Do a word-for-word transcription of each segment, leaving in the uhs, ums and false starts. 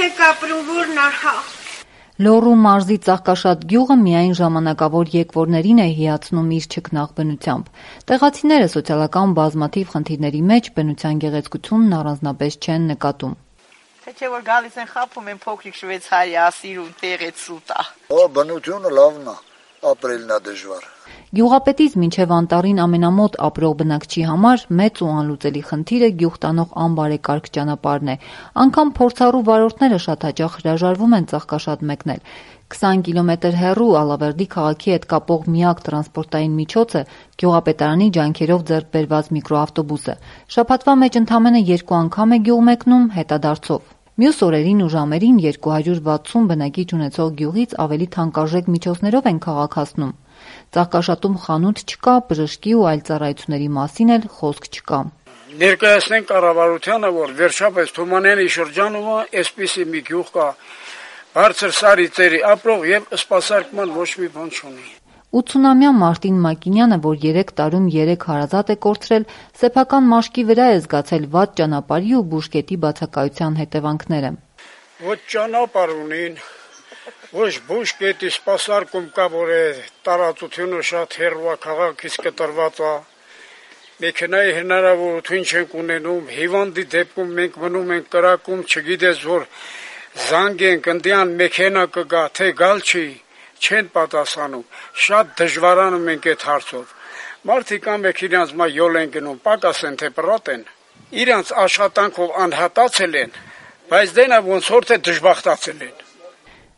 եք ապրում, որն արհա։ Լոռու մարզի Ծաղկաշատ գյուղը միայն ժամանակավոր եկվորներին է հիացնում իր չքնաղ բնությամբ։ Տեղացիները սոցիալական բազմաթիվ խնդիրների մեջ բնության գեղեցկությունն առանձնապես չեն նկատում։ Թե չէ որ գալիս են խափում են փոքրիկ շվեյցարիա, սիրուն տեղից սուտա։ Օ, բնությունը լավն է, ապրելն է դժվար։ Գյուղապետից մինչև անտառին ամենամոտ ապրող բնակչի համար մեծ ու անլուծելի խնդիրը գյուղ տանող անբարեկարգ ճանապարհն է։ Անգամ փորձառու վարորդները շատ հաճախ հրաժարվում են Ծաղկաշատ մեկնել։ քսան կիլոմետր հեռու Ալավերդի քաղաքի հետ կապող միակ տրանսպորտային միջոցը գյուղապետարանի ջանքերով ձեռք բերված միկրոավտոբուսը։ Շաբաթվա մեջ ընդամենը երկու անգամ է գյուղ մեկնում հետադարձով։ Մյուս օրերին ու ժամերին երկու հարյուր վաթսուն բնակիչ ունեցող գյուղից ավելի թանկարժեք միջոցներով են քաղաք հասնում։ Ծաղկաշատում խանութ չկա, բժշկի ու այլ ծառայությունների մասին էլ խոսք չկա։ Ներկայացնենք կառավարությանը, որ վերջապես Թումանյանի շրջանում այսպիսի մի գյուղ կա, բարձր սարի ծերի ապրող եւ սպասարկման ոչ մի բան չունի։ ութսունամյա Մարտին Մակինյանը, որ երեք տարում երեք հարազատ է կորցրել, սեփական մաշկի վրա է զգացել վատ ճանապարհի ու բուժկետի բացակայության հետևանքները։ Ոչ ճանապարհ ունին, ոչ բուժկետի սպասարկում կա, որ է տարածությունը շատ հեռու է քաղաքից կտրված է։ Մեքենայի հնարավորություն չենք ունենում, հիվանդի դեպքում մենք մնում ենք կրակում, չգիտես որ զանգենք ընդյան մեքենա կգա, թե գալ չի, չեն պատասխանում, շատ դժվարանում ենք այդ հարցով։ Մարդիկ ամեք իրանց մա յոլ են գնում, պակաս են թե պրատ են, իրանց աշխատանքով անհատացել են, բայց դենա ոնց որ թե դժբախտացել են։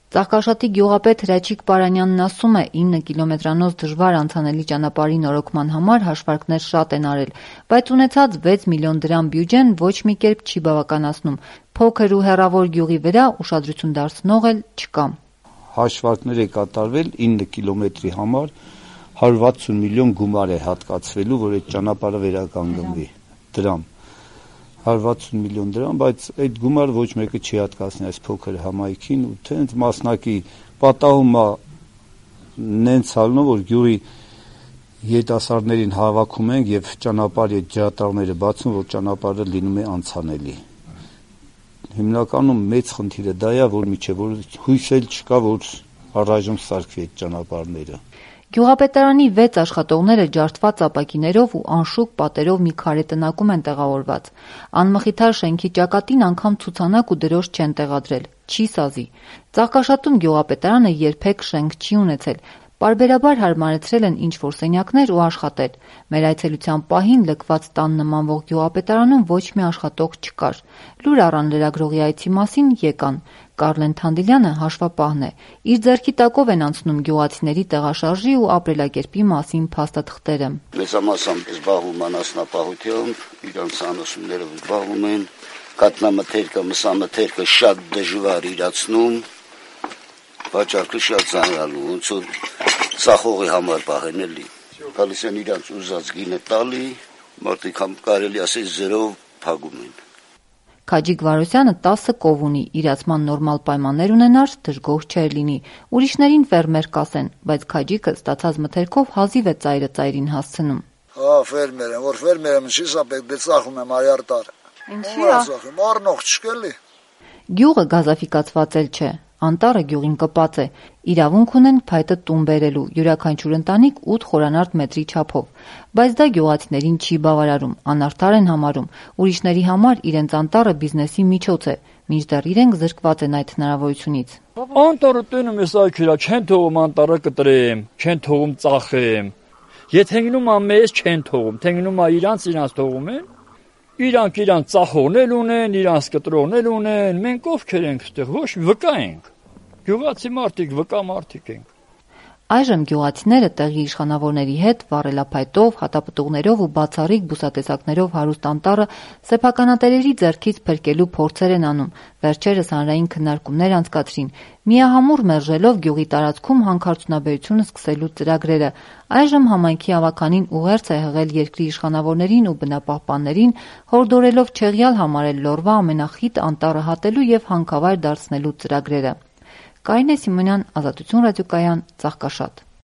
Ծաղկաշատի գյուղապետ Հրաչիկ Պարանյանն ասում է, ինը կիլոմետրանոց դժվար անցանելի ճանապարհի նորոգման համար հաշվարկներ շատ են արել, բայց ունեցած վեց միլիոն դրամ բյուջեն ոչ մի կերպ չի բավականացնում, փոքր ու հեռավոր գյուղի վրա ուշադրություն դարձնող էլ չկա։ Հաշվարկներ է կատարվել ինը կիլոմետրի համար հարյուր վաթսուն միլիոն գումար է հատկացվելու, որ այդ ճանապարհը վերականգնվի, դրամ, հարյուր վաթսուն միլիոն դրամ, բայց այդ գումարը ոչ մեկը չի հատկացնի այս փոքր համայնքին ու թե հենց մասնակի պատահում է նենց ալնով, որ գյուղի երիտասարդներին հավաքում ենք եւ ճանապարհի ջրատարները բացում, որ ճանապարհը լինում է անցանելի։ Հիմնականում մեծ խնդիրը դա է, որ միջև որ հույս էլ չկա, որ առայժմ սարքվի այդ ճանապարհները։ Գյուղապետարանի վեց աշխատողները ջարդված ապակիներով ու անշուք պատերով մի քարե տնակում են տեղավորված։ Անմխիթար շենքի ճակատին անգամ ցուցանակ ու դրոշ չեն տեղադրել, չի սազի։ Ծաղկաշատում գյուղապետարանը երբեք շենք չի ունեցել։ Պարբերաբար հարմարեցրել են ինչ-որ սենյակներ ու աշխատել։ Մեր այցելության պահին լքված տան նմանվող գյուղապետարանում ոչ մի աշխատող չկար։ Լուր առան լրագրողի այցի մասին եկան։ Կարլեն Թանդիլյանը հաշվապահն է։ Իր ձեռքի տակով են անցնում գյուղացիների տեղաշարժի ու ապրելակերպի մասին փաստաթղթերը։ Մեծամասամբ զբաղվում են անասնապահությամբ, իրանց անասուններով զբաղվում են, կատնամթերքը, մսամթերքը շատ դժվար իրացնում, վաճառքը շատ ծանրալու, ոնց որ ծախողի համար պահեն էլի։ Գալիս են իրանց ուզած գինը տալի, մարդիկ համ կարելի ասել զերով փակում են։ Քաջիկ Վարոսյանը տասը կով ունի, իրացման նորմալ պայմաններ ունենար, դժգոհ չէր լինի։ Ուրիշներին ֆերմեր կասեն, բայց Քաջիկը ստացած մթերքով հազիվ է ծայրը ծայրին հասցնում։ Հա, ֆերմեր եմ, որ ֆերմեր եմ, ինչի՞ սա պետք է ծախում եմ այար տար։ Ինչի՞ ծախում, առնող չկելի։ Գյուղը գազաֆիկացված էլ չէ։ Անտառը գյուղին կպած է, իրավունք ունեն փայտը տուն բերելու, յուրաքանչյուր ընտանիք ութ խորանարդ մետրի չափով, բայց դա գյուղացիներին չի բավարարում, անարդար են համարում, ուրիշների համար իրենց անտառը բիզնեսի միջոց է, մինչդեռ իրենք զրկված են այդ հնարավորությունից։ Անտառը տենում ես այքերա, չեն թողում անտառը կտրեմ, չեն թողում ծախեմ, եթե գնում ա մեզ չեն թողում, թե գնում ա իրանց իրանց թողում են, իրանք իրանք ծախողներ ունեն, իրանք կտրողներ ունեն, մենք ովքեր ենք ստեղ, ոչ վկա ենք, գյուղացի մարդիկ, վկա մարդիկ ենք։ Այժմ գյուղացիները տեղի իշխանավորների հետ վառելափայտով, հատապտուղներով ու բացառիկ բուսատեսակներով հարուստ անտառը սեփականատերերի ձեռքից փրկելու փորձեր են անում, վերջերս հանրային քննարկումներ անցկացրին, միահամուռ մերժելով գյուղի տարածքում հանքարդյունաբերությունը սկսելու ծրագրերը։ Այժմ համայնքի ավականին ուղերձ է հղել երկրի իշխանավորներին ու բնապահպաններին, հորդորելով չեղյալ համարել Լոռվա ամենախիտ անտառը հատելու եւ հանքավայր դարձնելու ծրագրերը։ Կարինե Սիմոնյան, Ազատություն ռադիոկայան, Ծաղկաշատ։